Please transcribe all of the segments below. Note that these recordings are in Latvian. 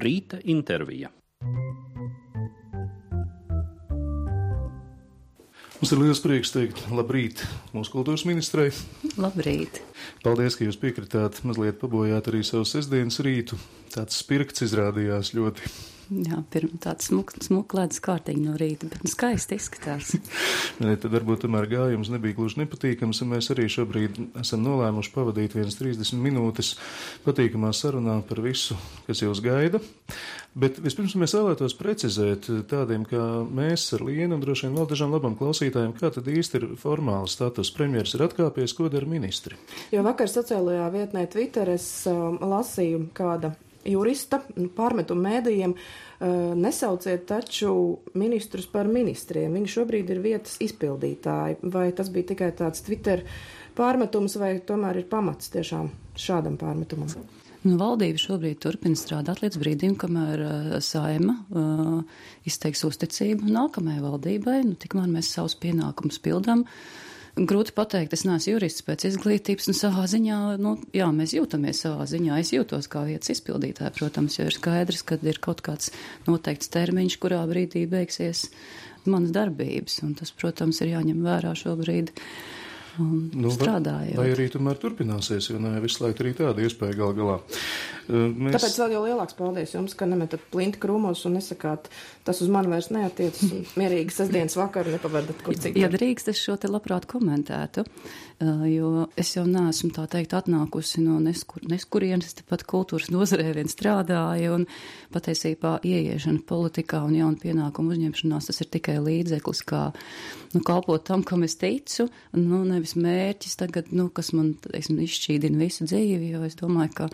Rīta intervija. Mums ir liels prieks teikt labrīt mūsu kultūras ministrei. Labrīt. Paldies, ka jūs piekritāt mazliet pabojāt arī savu sestdienas rītu. Tāds spirkts izrādījās ļoti. Jā, tāds smuk ledus kārtīgi no rīta, bet skaisti izskatās. Tad varbūt tomēr gājums nebija gluži nepatīkams, un mēs arī šobrīd esam nolēmuši pavadīt 30 minūtes patīkamā sarunā par visu, kas jūs gaida. Bet vispirms mēs vēlētos precizēt tādiem, kā mēs ar Lienu un droši vien vēl dažām labam klausītājiem, kā tad īsti ir formāli status. Premjeras ir atkāpies, ko dara ministri? Jo vakar sociālajā vietnē Twitter es lasīju kāda jurista pārmetumu mēdījiem, nesauciet taču ministrus par ministriem. Viņi šobrīd ir vietas izpildītāji. Vai tas bija tikai tāds Twitter pārmetums, vai tomēr ir pamats tiešām šādam pārmetumam? Valdība šobrīd turpina strādāt līdz brīdim, kamēr Saeima izteiks uzticību nākamajai valdībai. Tikmēr mēs savus pienākumus pildām. Grūti pateikt, es neesmu jurists pēc izglītības, un savā ziņā, jā, mēs jūtamies savā ziņā. Es jūtos kā vietas izpildītāja, protams, jo ir skaidrs, ka ir kaut kāds noteikts termiņš, kurā brīdī beigsies manas darbības, un tas, protams, ir jāņem vērā šobrīd. Strādājot. Vai arī tomēr turpināsies, jo ne visu laiku arī tāda iespēja gal galā. Tāpēc vēl jau lielāks paldies jums, ka nemetat plinti krūmos un nesakāt, tas uz mani vairs neatiecas un mierīgi sestdienas vakaru nepavedat kur citur. Ja drīkst, es šo te labprāt komentētu, jo es jau neesmu tā teikt atnākusi no neskurienes, tepat kultūras nozarē vien strādāju, un patiesībā ieiešana politikā un jaunu pienākumu uzņemšanās, tas ir tikai līdzeklis, kā kalpot tam, kam es ticu, nevis mērķis tagad, kas man, izšķīdina visu dzīvi, jo es domāju, ka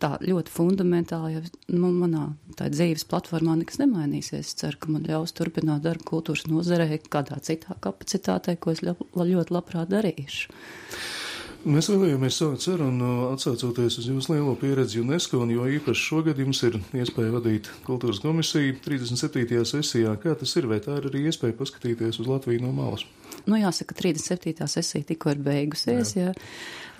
tā ļoti fundamentāli, ja manā tā dzīves platformā nekas nemainīsies. Es ceru, ka man ļaus turpināt darbu kultūras nozarē kādā citā kapacitātē, ko es ļoti labprāt darīšu. Mēs vēlējāmies sākt sarunu atsaucoties uz jūsu lielo pieredzi UNESCO, un jo īpaši šogad jums ir iespēja vadīt kultūras komisiju 37. sesijā. Kā tas ir? Vai tā ir arī iespēja paskatīties uz Latviju no malas? Jāsaka, 37. sesija tikko ir beigusies, jā.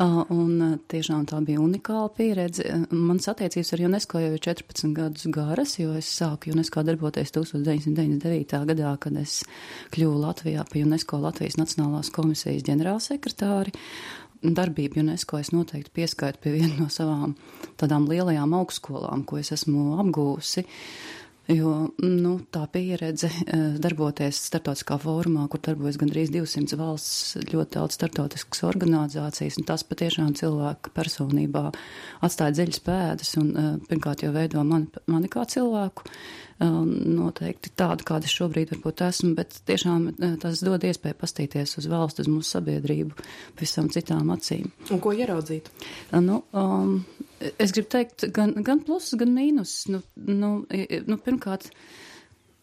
Un tiešām tā bija unikāla pieredze. Manas attiecības ar UNESCO jau ir 14 gadus garas, jo es sāku UNESCO darboties 1999. gadā, kad es kļuvu Latvijā pa UNESCO Latvijas Nacionālās komisijas ģenerālsekretāri. Darbību UNESCO es noteikti pieskaitu pie viena no savām tādām lielajām augstskolām, ko es esmu apgūsi. Jo tā pieredze darboties starptautiskā fórumā, kur darbojas gandrīz 200 valsts, ļoti daudz starptautiskas organizācijas, un tas patiešām cilvēka personībā atstāja dziļas pēdas, un pirmkārt jau veido mani kā cilvēku, noteikti tādu, kāda es šobrīd varbūt esmu, bet tiešām tas dod iespēju pastīties uz valstu, uz mūsu sabiedrību visam citām acīm. Un ko ieraudzīt? Es gribu teikt, gan plusus, gan mīnus. Pirmkārt,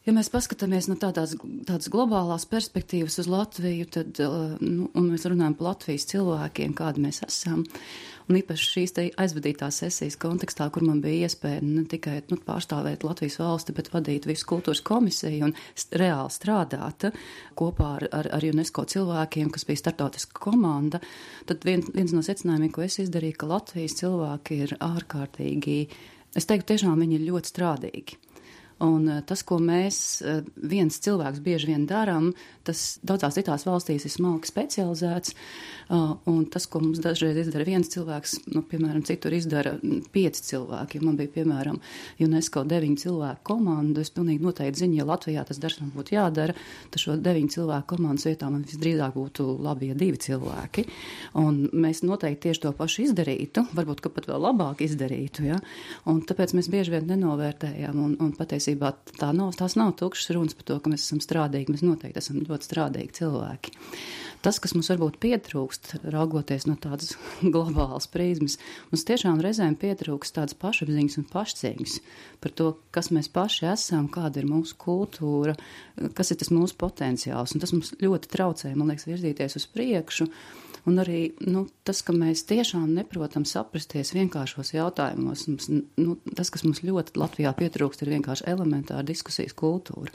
ja mēs paskatāmies no tādas globālās perspektīvas uz Latviju, tad, un mēs runājam par Latvijas cilvēkiem, kādi mēs esam, un īpaši šīs te aizvadītās sesijas kontekstā, kur man bija iespēja ne tikai pārstāvēt Latvijas valsti, bet vadīt visu kultūras komisiju un reāli strādāt kopā ar UNESCO cilvēkiem, kas bija startautiska komanda, tad viens no secinājumiem, ko es izdarīju, ka Latvijas cilvēki ir ārkārtīgi, es teiktu, tiešām viņi ir ļoti strādīgi. Un tas, ko mēs viens cilvēks bieži vien darām, tas daudzās citās valstīs ir smalki specializēts, un tas, ko mums dažreiz izdara viens cilvēks, piemēram, citur izdara 5 cilvēki. Ja man bija, piemēram, UNESCO 9 cilvēku komandu, es pilnīgi noteikti zinu, ja Latvijā tas darbs man būtu jādara, tad šo 9 cilvēku komandas vietā man visdrīzāk būtu labi, ja 2 cilvēki. Un mēs noteikti tieši to pašu izdarītu, varbūt, ka pat vēl labāk izdarītu, ja? Un tāpēc mēs bieži vien nenovērtējam un patiesībā tās nav tukšas runas par to, ka mēs esam strādīgi, mēs noteikti esam ļoti strādīgi cilvēki. Tas, kas mums varbūt pietrūkst, raugoties no tādas globālas prizmas, mums tiešām reizēm pietrūkst tādas pašapziņas un pašcieņas par to, kas mēs paši esam, kāda ir mūsu kultūra, kas ir tas mūsu potenciāls, un tas mums ļoti traucē, man liekas, virzīties uz priekšu. Un arī tas, ka mēs tiešām neprotam saprasties vienkāršos jautājumos, tas, kas mums ļoti Latvijā pietrūkst, ir vienkārši elementāra diskusijas kultūra.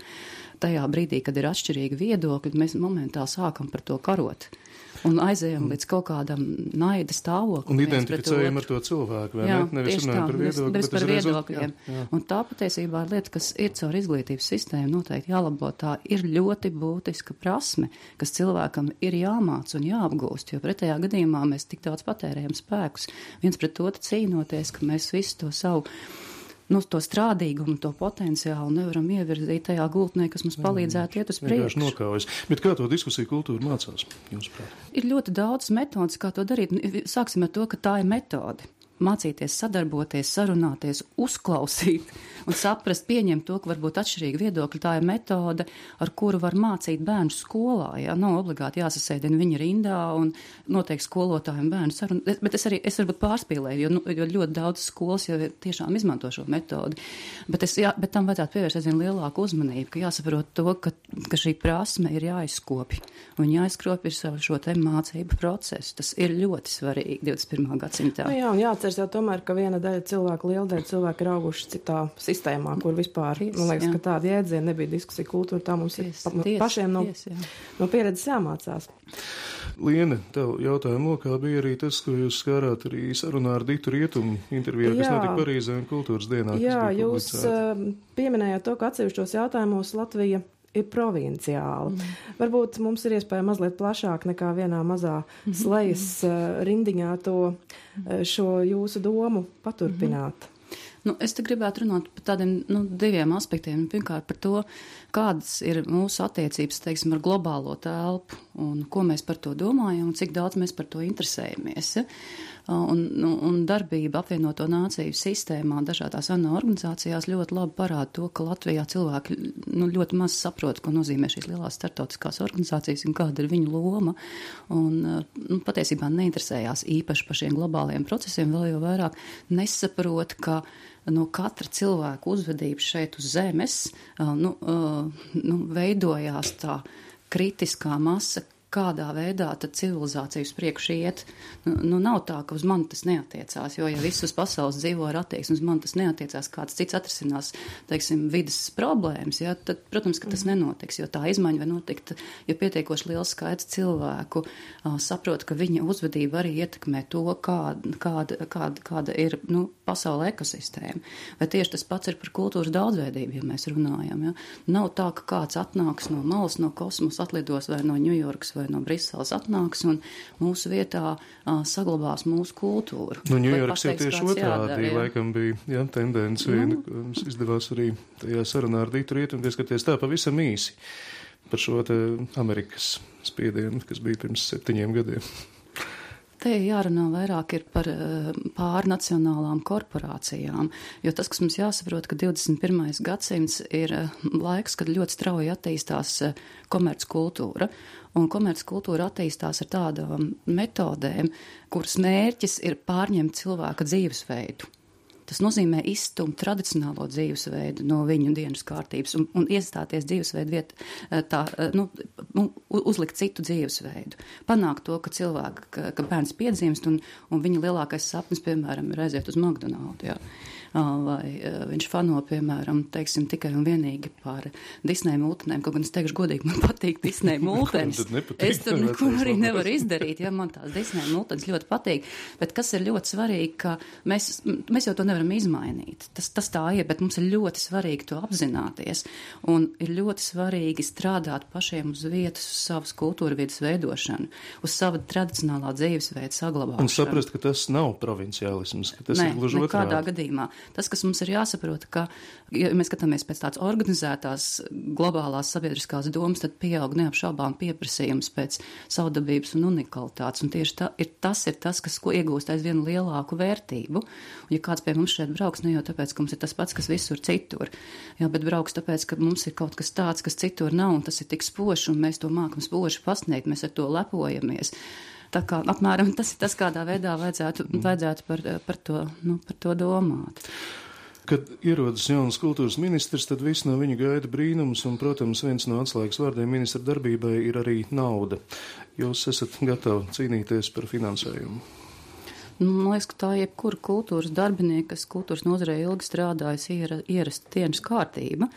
Tajā brīdī, kad ir atšķirīgi viedokļi, mēs momentā sākam par to karot. un aizējam līdz kaut kādam naida stāvoklim. Un identificējam ar to cilvēku, vai ne? Nevis runājam par viedokļiem, bet par viedokļiem. Un tā patiesībā ir lieta, kas ir caur izglītības sistēmu noteikti jālabo. Tā ir ļoti būtiska prasme, kas cilvēkam ir jāmāc un jāapgūst, jo pretējā gadījumā mēs tik daudz patērējam spēkus viens pret otru cīnoties, ka mēs visu to savu to strādīgumu, to potenciālu nevaram ievirzīt tajā gultnē, kas mums palīdzētu iet uz priekšu. Nokaujas. Bet kā to diskusiju kultūru mācās, jūsuprāt? Ir ļoti daudz metodas, kā to darīt. Sāksim ar to, ka tā ir metode. Mācīties, sadarboties, sarunāties, uzklausīt un saprast, pieņemt to, ka varbūt atšķirīgi viedokļi. Tā ir metode, ar kuru var mācīt bērnu skolā. Ja? Nav obligāti jāsasēdina viņa rindā un noteikti skolotājiem bērnu sarunu. Bet es varbūt pārspīlēju, jo ļoti daudz skolas jau tiešām izmanto šo metodi. Bet tam vajadzētu pievērst aizvien lielāku uzmanību, ka jāsaprot to, ka šī prasme ir jāizkopja. Un jāizkopja ar šo te mācību procesu. Tas ir ļoti svarīgi 21. gadsimtā. Jā, un jāatceras jau tomēr, ka viena daļa cilvēku, liela daļa cilvēku ir auguši citā sistēmā, kur vispār, man liekas, ka tāda jēdziena nebija diskusija kultūra, tā mums ir pašiem no pieredzes jāmācās. Liene, tev jautājumu lokā bija arī tas, ko jūs skārāt arī sarunā ar Ditu Rietumu intervijā, kas notika Parīzē un kultūras dienā. Jā, jūs pieminējāt to, ka atsevišķos jautājumos Latvija ir provinciāli. Varbūt mums ir iespēja mazliet plašāk nekā vienā mazā slejas rindiņā šo jūsu domu paturpināt. Es te gribētu runāt par tādiem diviem aspektiem. Pirmkārt par to, kādas ir mūsu attiecības, teiksim, ar globālo telpu un ko mēs par to domājam un cik daudz mēs par to interesējamies. Ja? Un darbība apvienoto nāciju sistēmā dažādās ANO organizācijās ļoti labi parāda to, ka Latvijā cilvēki ļoti maz saprot, ko nozīmē šīs lielās startautiskās organizācijas un kāda ir viņu loma. Un patiesībā neinteresējās īpaši par šiem globāliem procesiem, vēl jau vairāk nesaprot, ka no katra cilvēka uzvedības šeit uz zemes veidojās tā kritiskā masa, kādā veidā tad civilizācija uz priekšu iet. Nav tā, ka uz mani tas neatiecās, jo ja viss uz pasaules dzīvo ar attieksmi, uz mani tas neatiecās, kāds cits atrisinās, teiksim, vidas problēmas, ja, tad, protams, ka tas nenotiks, jo tā izmaiņa var notikt, ja pietiekoši liels skaits cilvēku saprot, ka viņa uzvedība arī ietekmē to, kāda ir pasaule ekosistēma. Vai tieši tas pats ir par kultūras daudzveidību, ja mēs runājam. Ja? Nav tā, ka kāds atnāks no malas, no kosmosa, atlidos vai no Ņujorkas vai no Briseles atnāks un mūsu vietā saglabās mūsu kultūru. Ņujorkas jau tieši otrādi, laikam bija tendence, mums izdevās arī tajā sarunā ar Ditu Rietumu, skaties tā pavisam īsi par šo te Amerikas spiedienu, kas bija pirms 7 gadiem. Te jārunā vairāk ir par pārnacionālām korporācijām, jo tas, kas mums jāsaprot, ka 21. gadsimts ir laiks, kad ļoti strauji attīstās komerckultūra, un komerckultūra attīstās ar tādām metodēm, kuras mērķis ir pārņemt cilvēka dzīvesveidu. Tas nozīmē izstumt tradicionālo dzīvesveidu no viņu dienas kārtības un iestāties dzīvesveidu vietā, uzlikt citu dzīvesveidu. Panākt to, ka bērns piedzimst un viņa lielākais sapnis, piemēram, ir aiziet uz McDonald's. Jā. Vai viņš fano, piemēram, teiksim, tikai un vienīgi par Disneja multenēm, kaut gan es teikšu godīgi, man patīk Disneja multenes. Es tur neko arī nevaru izdarīt, ja man tās Disneja multenes ļoti patīk, bet kas ir ļoti svarīgi, ka mēs jau to nevaram izmainīt. Tas tā ir, bet mums ir ļoti svarīgi to apzināties un ir ļoti svarīgi strādāt pašiem uz vietas, uz savas kultūra vietas veidošanu, uz sava tradicionālā dzīvesveida saglabāšanu. Un saprast, ka tas nav provinciālisms, ka tas ir gluži otrādi. Nekādā gadījumā. Tas, kas mums ir jāsaprot, ka, ja mēs skatāmies pēc tādas organizētās globālās sabiedriskās domas, tad pieaug neapšaubām pieprasījums pēc savdabības un unikalitātes. Un tieši tas ir tas, kas iegūst aizvien lielāku vērtību. Un, ja kāds pie mums šeit brauks, ne jau tāpēc, ka mums ir tas pats, kas visur citur, jā, bet brauks tāpēc, ka mums ir kaut kas tāds, kas citur nav, un tas ir tik spožs, un mēs to mākam spoži pasniegt, mēs ar to lepojamies. Tā kā apmēram tas ir tas, kādā veidā vajadzētu par to domāt. Kad ierodas jauns kultūras ministrs, tad viss no viņa gaida brīnums, un, protams, viens no atslēgas vārdiem ministra darbībai ir arī nauda. Jūs esat gatavi cīnīties par finansējumu? Man liekas, ka tā jebkura kultūras darbinieka, kas kultūras nozarē ilgi strādājas, ierasta dienas kārtība,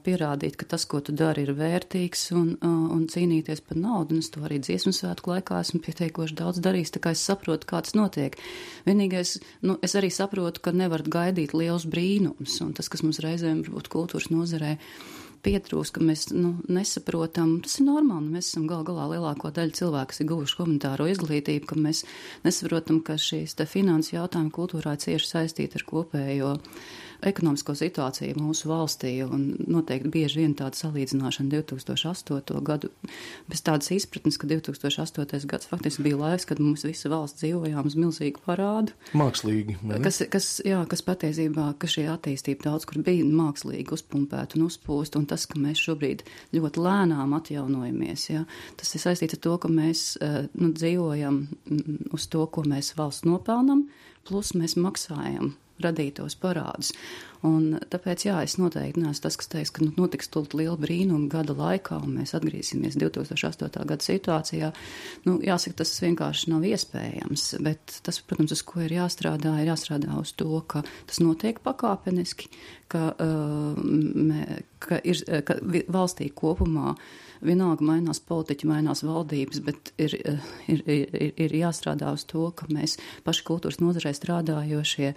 pierādīt, ka tas, ko tu dari, ir vērtīgs un cīnīties par naudu. Un es to arī dziesmu svētku laikā esmu pietiekoši daudz darījis, tā kā es saprotu, kā tas notiek. Vienīgais, es arī saprotu, ka nevar gaidīt liels brīnums, un tas, kas mums reizēm varbūt kultūras nozarē pietrūst, ka mēs nesaprotam, tas ir normāli, mēs esam galā lielāko daļu cilvēku, kas ir guvuši humanitāro izglītību, ka mēs nesaprotam, ka šīs te finanses jautājumi kultūrā cieši saistīti ar kopējo ekonomisko situāciju mūsu valstī, un noteikti bieži vien tāda salīdzināšana 2008. Gadu, bez tādas izpratnes, ka 2008. gads faktiski bija laiks, kad mums visa valsts dzīvojām uz milzīgu parādu. Mākslīgi, ne? Kas patiesībā, ka šī attīstība daudz kur bija mākslīgi uzpumpēta un uzpūst, un tas, ka mēs šobrīd ļoti lēnām atjaunojamies, ja, tas ir saistīts ar to, ka mēs dzīvojam uz to, ko mēs valsts nopelnam, plus mēs maksājam radītos parādus. Un tāpēc, es noteikti neesmu tas, kas teiks, ka notiks tūlīt liela brīnuma gada laikā, un mēs atgriezīsimies 2008. Gada situācijā. Jāsaka, tas vienkārši nav iespējams, bet tas, protams, uz ko ir jāstrādā uz to, ka tas notiek pakāpeniski, ka valstī kopumā vienalga mainās politiķi, mainās valdības, bet ir jāstrādā uz to, ka mēs paši kultūras nozarē strādājošie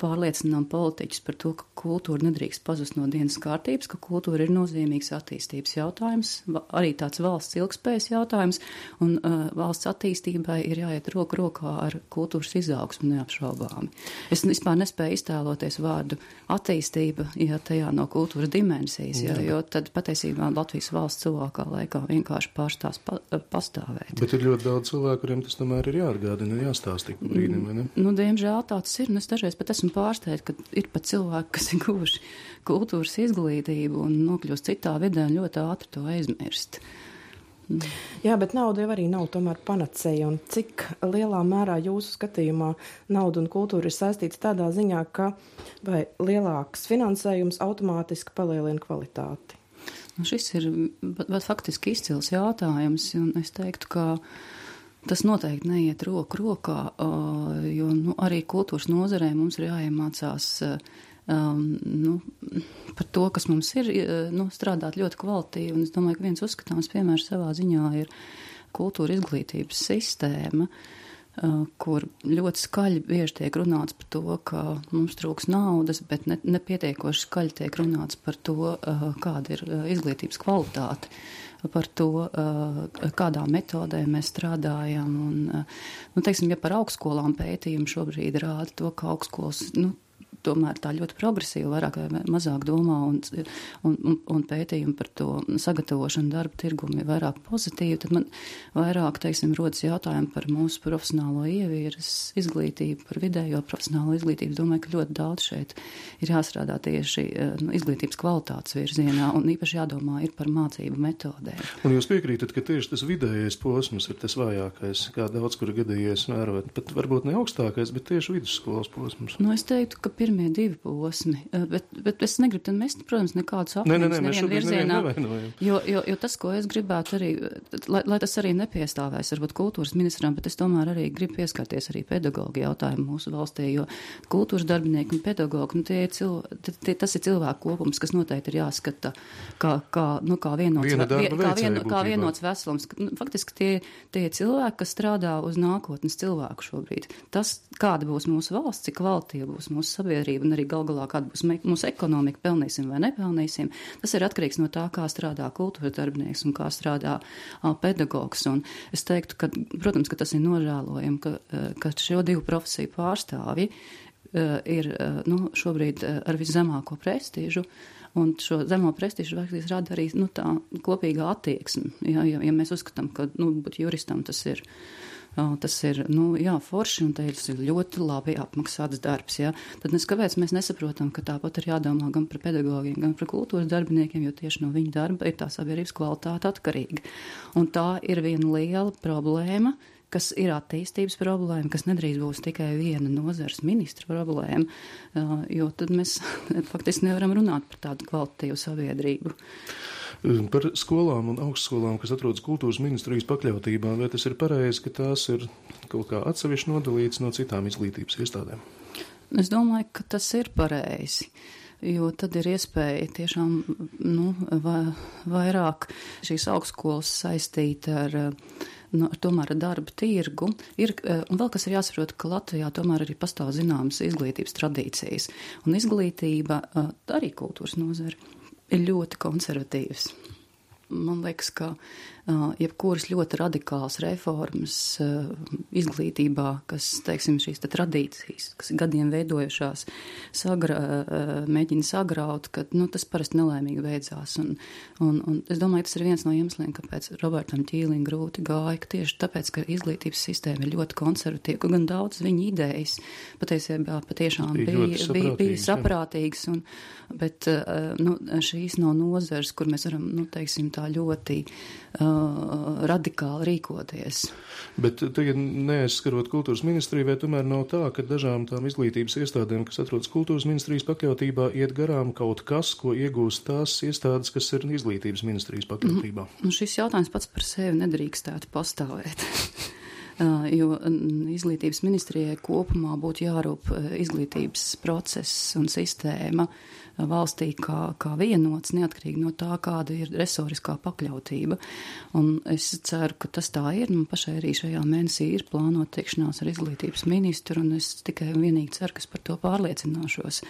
pārliecinām politiķus par to, ka kultūra nedrīkst pazust no dienas kārtības, ka kultūra ir nozīmīgs attīstības jautājums, arī tāds valsts ilgspējas jautājums, un valsts attīstībai ir jāiet roku rokā ar kultūras izaugsmu neapšaubāmi. Es vispār nespēju iztēloties vārdu attīstība, ja tajā no kultūras dimensijas, jo tad patiesībā Latvijas valsts cilvēkā laikā vienkārši pārstās pastāvēt. Bet ir ļoti daudz cilvēku, kuriem tas tomēr ir jāatgādina, jāstāsta ik brīdim, vai ne? Diemžēl tāds ir, un es dažreiz pat esmu pārsteigta, ka ir pat cilvēki, kas ir guvuši kultūras izglītību un nokļūst citā vidē un ļoti ātri to aizmirst. Jā, bet nauda jau arī nav tomēr panacēja, un cik lielā mērā jūsu skatījumā nauda un kultūra ir saistīts tādā ziņā, ka vai lielāks finansējums automātiski palielina kvalitāti? Šis ir faktiski izcils jautājums, un es teiktu, ka tas noteikti neiet roku rokā, jo arī kultūras nozarē mums ir jāiemācās par to, kas mums ir, strādāt ļoti kvalitīvi. Un es domāju, ka viens uzskatāms piemērs savā ziņā ir kultūra izglītības sistēma, kur ļoti skaļi bieži tiek runāts par to, ka mums trūks naudas, bet nepietiekoši skaļi tiek runāts par to, kāda ir izglītības kvalitāte, par to, kādā metodē mēs strādājam. Un, teiksim, ja par augstskolām pētījumi šobrīd rāda to, ka augstskolas, tomēr tā ļoti progresīvi, vairāk vai mazāk domā, un pētījumi par to sagatavošanu darba tirgumu ir vairāk pozitīvi, tad man vairāk, rodas jautājumi par mūsu profesionālo ievieres izglītību, par vidējo profesionālo izglītību. Domāju, ka ļoti daudz šeit ir jāstrādā tieši izglītības kvalitātes virzienā, un īpaši jādomā ir par mācību metodēm. Un jūs piekrītat, ka tieši tas vidējais posms ir tas vājākais, kā daudz kur gadījies vērot, pat varbūt ne augstākais, bet tieši vidusskolas posms? Es teiktu, ka pirmie divi posmi, bet es negribu tad mest, protams, nekādus apņēmumus nevienu virzienā, jo tas, ko es gribētu arī, lai tas arī nepiestāvēs, varbūt kultūras ministram, bet es tomēr arī gribu pieskarties arī pedagoģu jautājumu mūsu valstī, jo kultūras darbinieki un pedagoģi, tas ir cilvēku kopums, kas noteikti ir jāskata kā vienots veselums. Faktiski tie cilvēki, kas strādā uz nākotnes cilvēku šobrīd. Tas, kāda būs mūsu valsts, cik kvalitīva būs mūsu sabiedrība un arī galā kāda būs mūsu ekonomika, pelnīsim vai nepelnīsim, tas ir atkarīgs no tā, kā strādā kultūras darbinieks un kā strādā pedagogs. Un es teiktu, ka, protams, ka tas ir nožēlojami, ka šo divu profesiju pārstāvji ir šobrīd ar viszemāko prestīžu, un šo zemo prestīžu vērtības rada arī tā kopīgā attieksme. Ja mēs uzskatām, ka būt juristam tas ir forši, un tas ir ļoti labi apmaksāts darbs, tad kāpēc mēs nesaprotam, ka tāpat ir jādomā gan par pedagogiem, gan par kultūras darbiniekiem, jo tieši no viņu darba ir tā sabiedrības kvalitāte atkarīga. Un tā ir viena liela problēma, kas ir attīstības problēma, kas nedrīkst būs tikai viena nozares ministra problēma, jo tad mēs faktiski nevaram runāt par tādu kvalitatīvu sabiedrību. Par skolām un augstskolām, kas atrodas kultūras ministrijas pakļautībā, vai tas ir pareizi, ka tās ir kaut kā atsevišķi nodalītas no citām izglītības iestādēm? Es domāju, ka tas ir pareizi, jo tad ir iespēja tiešām vairāk šīs augstskolas saistīt ar tomēr ar darba tirgu. Un vēl kas ir jāsaprot, ka Latvijā tomēr arī pastāv zināmas izglītības tradīcijas. Un izglītība, arī kultūras nozare, ir ļoti konservatīvas. Man liekas, ka jebkuras ļoti radikālas reformas izglītībā, kas, teiksim, šīs tradīcijas, kas gadiem veidojušās, mēģina sagraut, ka tas parasti nelaimīgi beidzās. Un es domāju, tas ir viens no iemesliem, kāpēc Robertam Ķīlim grūti gāja, ka tieši tāpēc, ka izglītības sistēma ir ļoti konservatīva, ka gan daudz viņa idejas patiesībā patiešām bija saprātīgas, bet šīs nav nozares, kur mēs varam, teiksim, tā ļoti radikāli rīkoties. Bet tagad neaizskarot kultūras ministriju, vai tomēr nav tā, ka dažām tām izglītības iestādēm, kas atrodas kultūras ministrijas pakļautībā, iet garām kaut kas, ko iegūst tās iestādes, kas ir izglītības ministrijas pakļautībā? Šis jautājums pats par sevi nedrīkstētu pastāvēt. Jo izglītības ministrijai kopumā būtu jārūp izglītības process un sistēma valstī kā vienots, neatkarīgi no tā, kāda ir resoriskā pakļautība. Un es ceru, ka tas tā ir. Pašai arī šajā mēnesī ir plānot tikšanās ar izglītības ministru, un es tikai un vienīgi ceru, ka es par to pārliecināšos.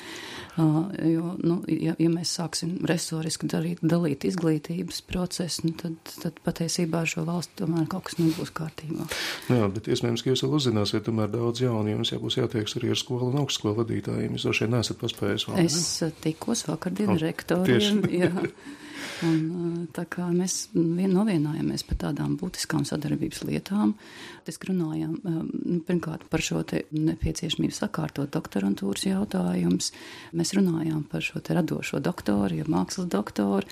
Jo, ja mēs sāksim resoriski dalīt izglītības procesu, tad patiesībā ar šo valstu tomēr kaut kas nebūs kārtībā. Jā, bet iespējams, ka jūs vēl uzzināsiet tomēr daudz jaunu, jums jābūs jātieks arī ar skolu un augstskolu vadītājiem. Jūs droši vien neesat paspējis vēl, ne? Es tikos vakardien rektoriem, jā. Un tā kā mēs novienājāmies par tādām būtiskām sadarbības lietām, runājām pirmkārt par šo te nepieciešamību sakārtot doktorantūras jautājumus. Mēs runājām par šo te radošo doktoru, ja mākslas doktoru,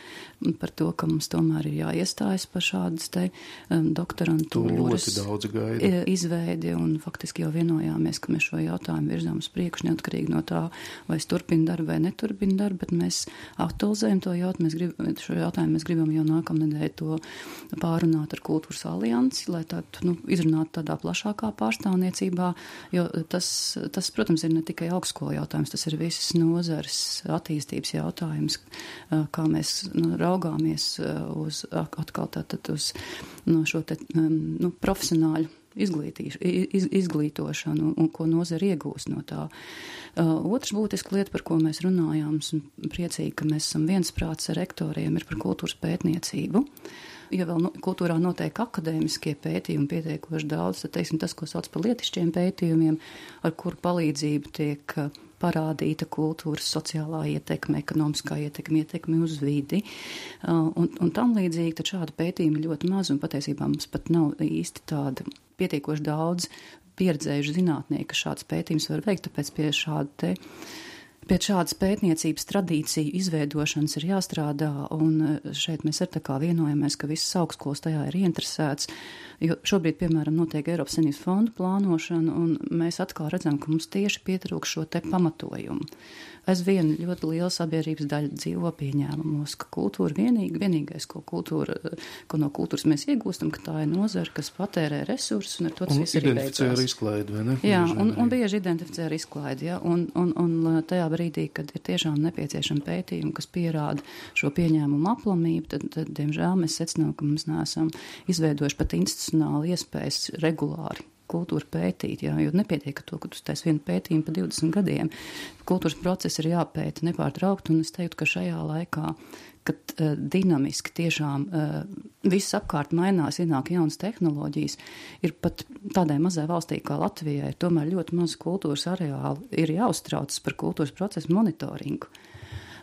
par to, ka mums tomēr ir jāiestājas par šādas te doktorantūras izveidi, un faktiski jau vienojāmies, ka mēs šo jautājumu virzām uz priekšu, neatkarīgi no tā, vai es turpinu darbu vai neturpinu darbu, bet mēs aktualizējam to jautājumu. Šo jautājumu mēs gribam jau nākamnedēļ to pārunāt ar Kultūras aliansi, lai tādu izrunātu tādā plašākā pārstāvniecībā, jo tas, protams, ir ne tikai augstskolu jautājums, tas ir visas nozares attīstības jautājums, kā mēs raugāmies uz atkal tātad uz šo te profesionāļu izglītošanu un ko nozara iegūst no tā. Otrs būtiska lieta, par ko mēs runājām, un priecīgi, ka mēs esam viensprāts ar rektoriem, ir par kultūras pētniecību. Ja vēl kultūrā notiek akadēmiskie pētījumi pietiekoši daudz, tad, teiksim, tas, ko sauc par lietišķiem pētījumiem, ar kuru palīdzību tiek parādīta kultūras sociālā ietekme, ekonomiskā ietekme uz vidi. Un tam līdzīgi, tad šāda pētījuma ļoti maz, un patiesībā mums pat nav īsti tāda pietiekoši daudz pieredzējuši zinātnieki, ka šāds pētījums var veikt, tāpēc pie šādas pētniecības tradīciju izveidošanas ir jāstrādā, un šeit mēs ar tā kā vienojamies, ka visas augstskolas tajā ir ieinteresēts, jo šobrīd, piemēram, notiek Eiropas Savienības fondu plānošana, un mēs atkal redzam, ka mums tieši pietrūkst šo te pamatojumu. Aizvien ļoti liela sabiedrības daļa dzīvo pieņēmumos, ka kultūra vienīgais, ko no kultūras mēs iegūstam, ka tā ir nozara, kas patērē resursus, un ar to tas viss arī beidzās. Un identificē ar izklaidi, vai ne? Jā, un bieži identificē ar izklaidi, jā, un tajā brīdī, kad ir tiešām nepieciešama pētījuma, kas pierāda šo pieņēmumu aplamību, tad diemžēl, mēs secinām, ka mums neesam izveidojuši pat institucionāli iespējas regulāri kultūru pētīt, jā, jo nepietiek to, ka tu taisi vienu pētījumu pa 20 gadiem. Kultūras procesi ir jāpēta nepārtraukt, un es teiktu, ka šajā laikā, kad dinamiski tiešām viss apkārt mainās, ienāk jaunas tehnoloģijas, ir pat tādai mazai valstī kā Latvijai, tomēr ļoti maz kultūras areāli ir jāuztraucas par kultūras procesu monitoringu.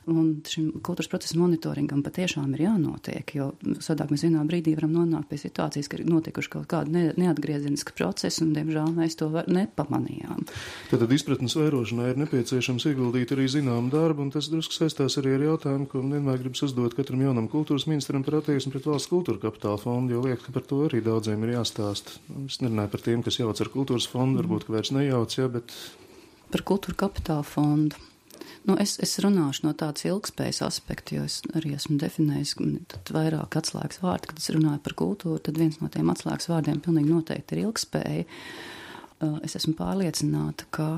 Un šim kultūras procesa monitoringam patiešām ir jānotiek, jo sadāk mēs vienā brīdī varam nonākt pie situācijas, ka ir notikuši kaut kāda neatgriezieniska procesa, un, diemžēl, mēs to nepamanījām. Tad izpratnes vairošanai ir nepieciešams ieguldīt arī zināmu darbu, un tas drusku saistās arī ar jautājumu, ko vienmēr gribas uzdot katram jaunam kultūras ministram par attieksmi pret valsts kultūra kapitāla fondu, jo liek, ka par to arī daudziem ir jāstāst. Es nerunāju par tiem, kas jauc ar kultūras fondu, varbūt, ka vairs nejauc, jā, bet... Par kultūra kapitāla fondu. Es runāšu no tādas ilgspējas aspekta, jo es arī esmu definējis tad vairāk atslēgas vārdi, kad es runāju par kultūru, tad viens no tiem atslēgas vārdiem pilnīgi noteikti ir ilgspēja. Es esmu pārliecināta, ka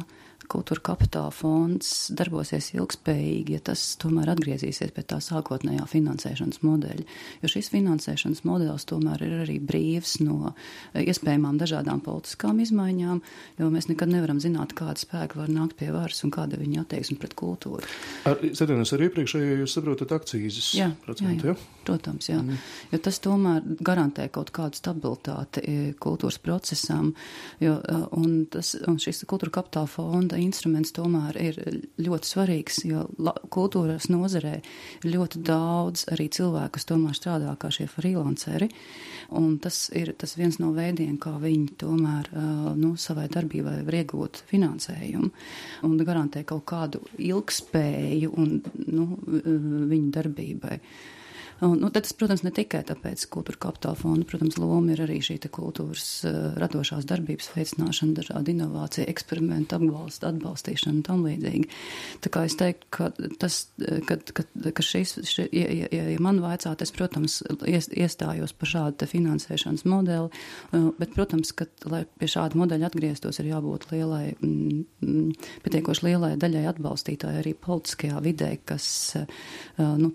Kultūra Kapitāla fonds darbosies ilgspējīgi, ja tas tomēr atgriezīsies pie tā sākotnējā finansēšanas modeļa. Jo šis finansēšanas modelis tomēr ir arī brīvs no iespējamām dažādām politiskām izmaiņām, jo mēs nekad nevaram zināt, kāda spēka var nākt pie varas un kāda viņa attieksme pret kultūru. Ar iepriekšējo jūs saprotat akcīzes procentu, jā? Protams, jā. Jo tas tomēr garantē kaut kādu stabilitāti kultūras procesam, un šis Kultūra Kapitāla fonda instruments tomēr ir ļoti svarīgs, jo kultūras nozarē ir ļoti daudz arī cilvēku, kas tomēr strādā kā šie freelanceri, un tas ir viens no veidiem, kā viņi tomēr savai darbībai var iegūt finansējumu un garantē kaut kādu ilgspēju un viņu darbībai. Tad tas, protams, ne tikai tāpēc Kultūra Kapitāla fonda, protams, loma ir arī šī kultūras radošās darbības veicināšana, dažādi inovācija, eksperimentu atbalstīšana un tam līdzīgi. Tā kā es teiktu, ka šis, ja man vaicāt, es, protams, iestājos par šādu finansēšanas modeli, bet, protams, ka, lai pie šāda modeļa atgrieztos, ir jābūt pietiekoši lielai daļai atbalstītāji arī politiskajā vidē, kas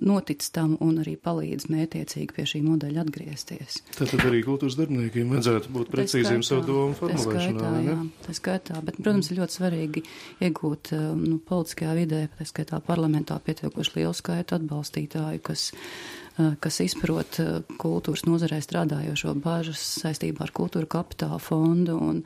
notic tam un arī palīdz mētiecīgi pie šī modeļa atgriezties. Tātad arī kultūras darbiniekiem vajadzētu būt precīziem savu domu formulēšanā. Tā skaitā, bet, protams, ir ļoti svarīgi iegūt politiskajā vidē, tā skaitā parlamentā pietiekoši lielu skaitu atbalstītāju, kas izprot kultūras nozarē strādājošo bažas saistībā ar Kultūra Kapitāla fondu un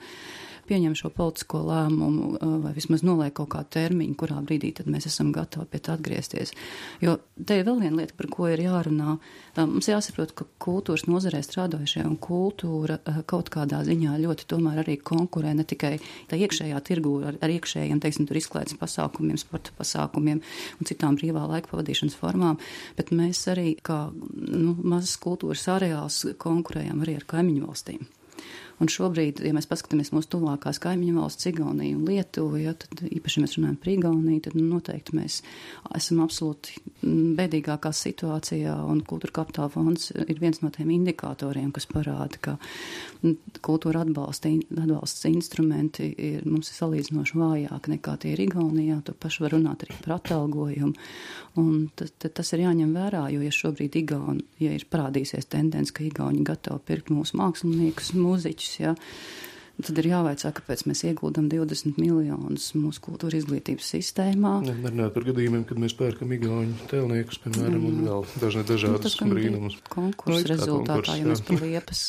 pieņem šo politisko lēmumu vai vismaz noliek kaut kādu termiņu, kurā brīdī tad mēs esam gatavi pie tā atgriezties. Jo te ir vēl viena lieta, par ko ir jārunā. Mums jāsaprot, ka kultūras nozarē strādājušie un kultūra kaut kādā ziņā ļoti tomēr arī konkurē ne tikai tā iekšējā tirgū ar iekšējiem, teiksim, tur izklaides pasākumiem, sporta pasākumiem un citām brīvā laika pavadīšanas formām, bet mēs arī kā mazas kultūras areāls konkurējam arī ar kaimiņu valstīm. Un šobrīd, ja mēs paskatāmies mūsu tuvākās kaimiņu valsts, Igauniju un Lietuvu, tad īpaši mēs runājam par Igauniju, tad noteikti mēs esam absolūti bēdīgākā situācijā, un Kultūra Kapitāla fonds ir viens no tiem indikatoriem, kas parāda, ka kultūra atbalsts instrumenti mums ir salīdzinoši vājāk nekā tie ir Igaunijā, to pašu var runāt arī par atalgojumu, un tas ir jāņem vērā, jo ja šobrīd ja ir parādīsies tendence, ka Igauni gatavi pirkt mūsu māksliniekus, mūziķus, tad ir jāvaicā, kāpēc mēs ieguldam 20 miljonus mūsu kultūra izglītības sistēmā. Nerunāt par gadījumiem, kad mēs pērkam igauņu tēlniekus, piemēram, un vēl dažādas brīnumus. Konkursu rezultātā, ja mēs par Liepas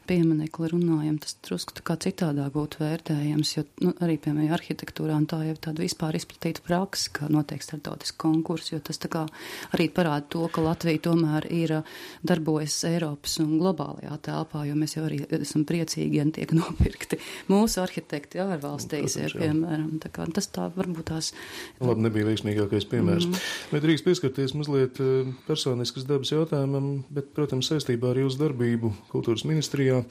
pieminekli runājam, tas drusku kā citādāk būtu vērtējams, jo arī, piemēram, arhitektūrā un tā jau tāda vispār izplatīta praksa, ka notiek starptautiski konkursi, jo tas tā kā arī parāda to, ka Latvija tomēr ir darbojas Eiropas un globālajā telpā, jo mēs jau arī esam priecīgi, ja tiek nopirkti mūsu arhitekti ārvalstīs, piemēram. Tā kā tas tā varbūt tās... Labi, nebija veiksmīgākais piemērs. Bet drīkst pieskarties mazliet personiskas dabas jautājumam, bet, protams, saistībā ar jūsu darbību kultūras ministrijā.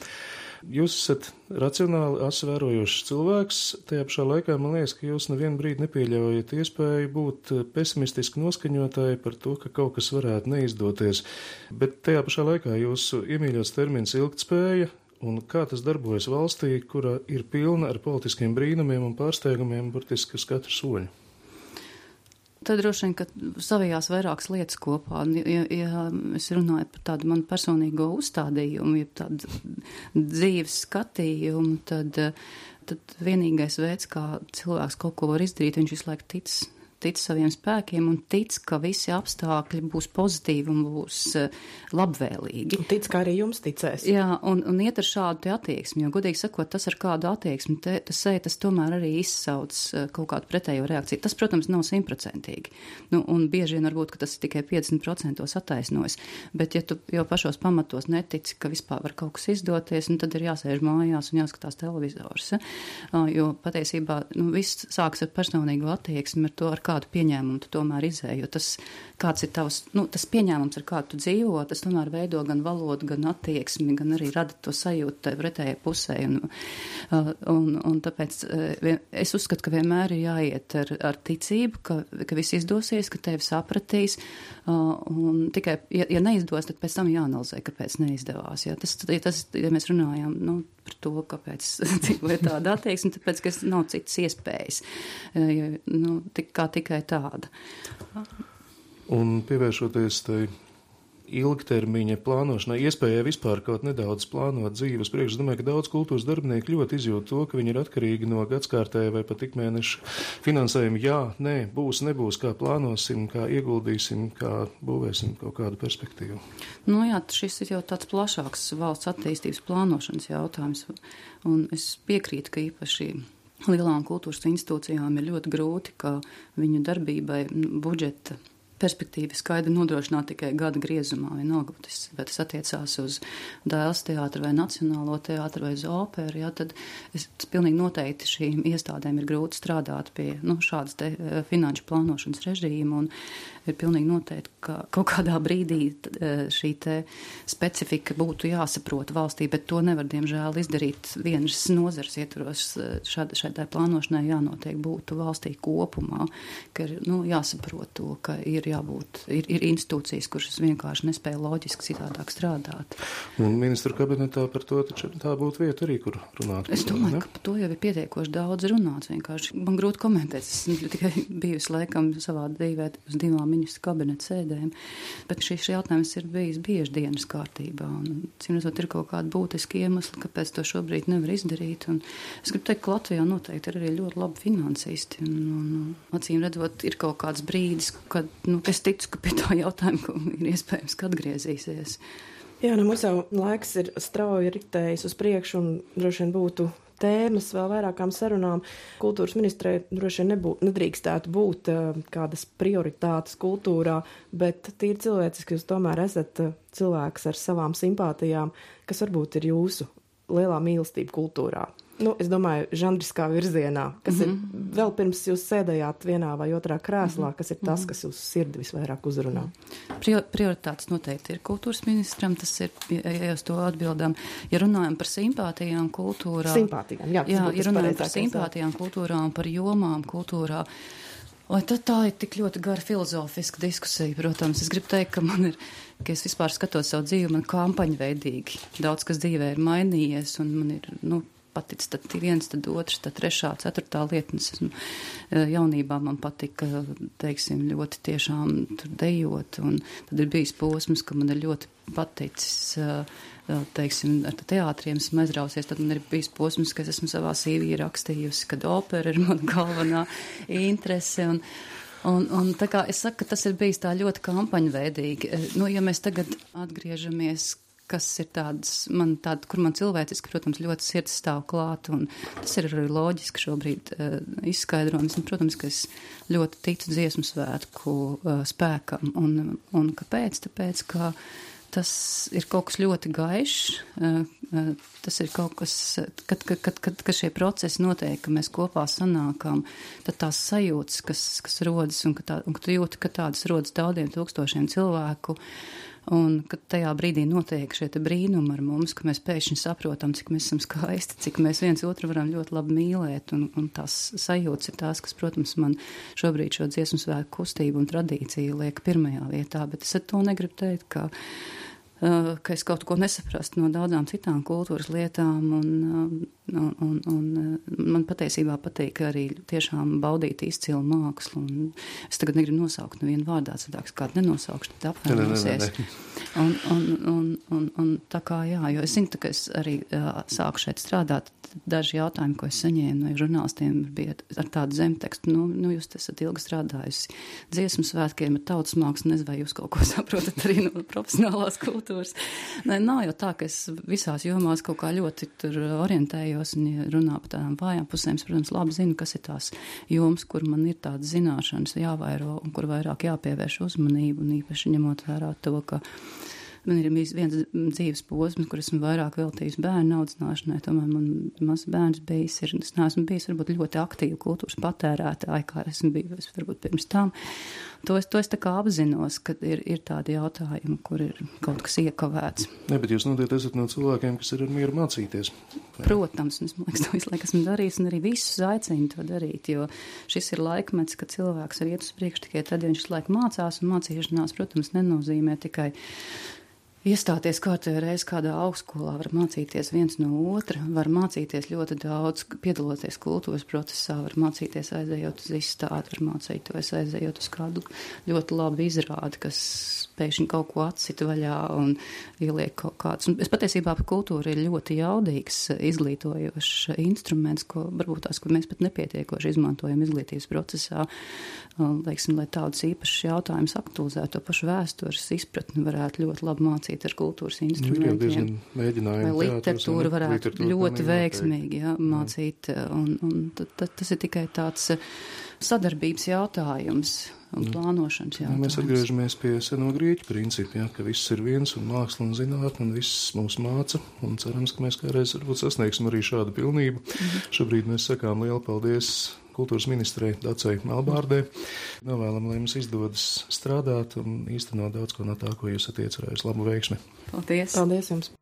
Jūs esat racionāli asvērojošs cilvēks, tajā pašā laikā man liekas, ka jūs nevienu brīdi nepieļaujat iespēju būt pesimistiski noskaņotāji par to, ka kaut kas varētu neizdoties, bet tajā pašā laikā jūsu iemīļots termins ilgtspēja, un kā tas darbojas valstī, kura ir pilna ar politiskiem brīnumiem un pārsteigumiem burtiski uz katru soļu? Tad droši vien, ka savijās vairākas lietas kopā. Ja es runāju par tādu manu personīgo uzstādījumu, ja tādu dzīves skatījumu, tad vienīgais veids, kā cilvēks kaut ko var izdarīt, viņš visu laiku tic saviem spēkiem un tic, ka visi apstākļi būs pozitīvi un būs labvēlīgi. Un tic, ka arī jums ticēs. Jā, un iet ar šādu te attieksmi, jo, godīgi sakot, tas ar kādu attieksmi, tas tomēr arī izsauc kaut kādu pretējo reakciju. Tas, protams, nav 100%. Un bieži vien varbūt, ka tas tikai 50% attaisnojas, bet ja tu jau pašos pamatos netici, ka vispār var kaut kas izdoties, tad ir jāsēž mājās un jāskatās televizors. Jo patiesībā viss sāks ar personīgu attieksmi, ar to, ar kādu pieņēmumu tu tomēr izēji, jo tas, kāds ir tavs, tas pieņēmums, ar kādu tu dzīvo, tas tomēr veido gan valodu, gan attieksmi, gan arī rada to sajūtu tai pretējai pusē. Un tāpēc es uzskatu, ka vienmēr ir jāiet ar ticību, ka viss izdosies, ka tevi sapratīs, un tikai, ja neizdos, tad pēc tam jāanalizē, kāpēc neizdevās. Ja mēs runājam, par to, kāpēc dzīvoja tāda attieksme, tāpēc, ka nav citas iespējas, tikai tāda. Un pievēršoties tai ilgtermiņa plānošanai, iespējai vispār kaut nedaudz plānot dzīves priekš, es domāju, ka daudz kultūras darbinieki ļoti izjūt to, ka viņi ir atkarīgi no gadskārtēja vai pat ikmēneša finansējuma. Jā, nē, būs, nebūs, kā plānosim, kā ieguldīsim, kā būvēsim kaut kādu perspektīvu. Jā, šis ir jau tāds plašāks valsts attīstības plānošanas jautājums, un es piekrītu, ka īpaši lielām kultūras institūcijām ir ļoti grūti, ka viņu darbībai budžeta perspektīvi skaidri nodrošināt tikai gada griezumā, vienalga, vai tas attiecās uz Dēls teātru vai Nacionālo teātru vai uz operu, tad pilnīgi noteikti šīm iestādēm ir grūti strādāt pie šādas te finanšu plānošanas režīma, un ir pilnīgi noteikti, ka kaut kādā brīdī šī te specifika būtu jāsaprot valstī, bet to nevar, diemžēl, izdarīt vienas nozares ietvaros. Šādai plānošanai jānotiek būtu valstī kopumā, ka ir jāsaprot to, ka ir jābūt, ir institūcijas, kuras vienkārši nespēja loģiski citādāk strādāt. Un ministru kabinetā par to taču tā būtu vieta arī, kur runāt. Es domāju, ka par to jau ir pietiekoši daudz runāts vienkārši. Man grūti komentēt, es tikai bijusi laikam savā dzīvē uz 2 ministru kabineta sēdēm, bet šis jautājums ir bijis bieži dienas kārtībā, un cīmredzot ir kaut kādi būtiski iemesli, kāpēc to šobrīd nevar izdarīt, un es gribu teikt, ka Latvijā noteikti ir arī ļoti labi finansisti, un acīm redzot, ir kaut kāds brīdis, kad, es ticu, ka pie tā jautājuma ir iespējams, ka atgriezīsies. Jā, mums jau laiks ir strauji riktējis uz priekšu, un droši vien būtu tēmas vēl vairākām sarunām. Kultūras ministrei droši vien nedrīkstētu būt kādas prioritātes kultūrā, bet tīri cilvēciski jūs tomēr esat cilvēks ar savām simpātijām, kas varbūt ir jūsu lielā mīlestība kultūrā. Es domāju, žanriskā virzienā, kas ir vēl pirms jūs sēdējāt vienā vai otrā krēslā, kas ir tas, kas jūsu sirdi visvairāk uzrunā. Prioritātes noteikti ir kultūras ministram, tas ir, ja uz to atbildām. Ja runājam par simpātijām kultūrā. Ja runājam par simpātijām kultūrā un par jomām kultūrā, vai tad tā ir tik ļoti gara filozofiska diskusija, protams. Es gribu teikt, ka es vispār skatos savu dzīvi, man kampaņveidīgi. Daudz, kas dzīvē ir mainījies, un man ir, patic tad viens, tad otrs, tad trešā, ceturtā lietnes. Jaunībā man patika, teiksim, ļoti tiešām tur dejot, un tad ir bijis posms, ka man ir ļoti paticis, teiksim, ar teātriem esmu aizrausies, tad man ir bijis posms, ka es esmu savā CV rakstījusi, kad opera ir mana galvenā interese, un tā kā es saku, ka tas ir bijis tā ļoti kampaņveidīgi. Ja mēs tagad atgriežamies, kas ir kur man cilvēciski, protams, ļoti sirds stāv klāt, un tas ir arī loģiski šobrīd izskaidrojums, un, protams, ka es ļoti ticu dziesmu svētku spēkam, un kāpēc? Tāpēc, ka tas ir kaut kas ļoti gaišs, tas ir kaut kas, kad šie procesi notiek, ka mēs kopā sanākam, tad tās sajūtas, kas rodas, un ka tu jūti, ka tādas rodas daudziem tūkstošiem cilvēku, un kad tajā brīdī notiek šie te brīnumi ar mums, ka mēs pēkšņi saprotam, cik mēs esam skaisti, cik mēs viens otru varam ļoti labi mīlēt, un tās sajūtas ir tās, kas, protams, man šobrīd šo dziesmu svētku kustību un tradīciju liek pirmajā vietā, bet es ar to negribu teikt, ka es kaut ko nesaprastu no daudzām citām kultūras lietām, un man patiesībā patīk arī tiešām baudīt izcilu mākslu, un es tagad negribu nosaukt nevienu vārdā, citāk kādu nenosaukšu, tad apvainosies. Un tā kā jā, jo es zinu, ka es arī sāku šeit strādāt, daži jautājumi, ko es saņēmu no žurnālistiem, bija ar tādu zemtekstu, jūs esat ilgi strādājusi dziesmu svētkiem ar tautas mākslu, nezinu, vai jūs kaut ko saprotat arī no profesionālās kultūras. Nav jau tā, ka es visās jomās kaut kā ļoti tur orientējos, un ja runā par tādām vājām pusēm, es, protams, labi zinu, kas ir tās jomas, kur man ir tādas zināšanas jāvairo, un kur vairāk jāpievērš uzmanību, un īpaši ņemot vērā to, ka Man ir bijis viens dzīves posms, kur esmu vairāk veltījusi bērnu audzināšanai, tomēr man mazs bērns bijis, es neesmu bijis varbūt ļoti aktīva kultūras patērētāja, kā esmu bijusi varbūt pirms tam. To es tā kā apzinos, ka ir tādi jautājumi, kur ir kaut kas iekavēts. Ne, bet jūs noteikti esat no cilvēkiem, kas ir ar mieru mācīties. Protams, un es, man liekas, to visu laiku esmu darījis, un arī visus aicinu to darīt, jo šis ir laikmets, kad cilvēks var iet uz priekšu tikai tad, ja viņš visu laiku mācās, un mācīšanās, protams, nenozīmē tikai iestāties kārtējā reiz kādā augstskolā, var mācīties viens no otra, var mācīties ļoti daudz, piedaloties kultūras procesā, var mācīties aizējot uz izstādi, var mācīties aizējot uz kādu ļoti labu izrādi, kas pēkšņi kaut ko atcita vaļā un ieliek kaut kāds. Un es patiesībā par kultūru ir ļoti jaudīgs, izglītojošs instruments, ko varbūt tās, ko mēs pat nepietiekoši izmantojam izglītības procesā, teiksim, lai tādus īpašus jautājumus aktualizētu, to pašu vēstures izpratni varētu ļoti labi mācīt ar kultūras instrumentiem. Vai literatūru varētu ļoti veiksmīgi mācīt, un tas ir tikai tāds sadarbības jautājums un plānošanas jautājums. Mēs atgriežamies pie seno grieķu principu, ka viss ir viens un māksla un zinātne un viss mums māca, un cerams, ka mēs kādreiz varbūt sasniegsim arī šādu pilnību. Šobrīd mēs sakām lielu paldies kultūras ministrei Dacei Melbārdei. Novēlam, lai mums izdodas strādāt un īstenot daudz ko no tā, ko jūs esat iecerējusi. Labu veiksmi! Paldies! Paldies jums!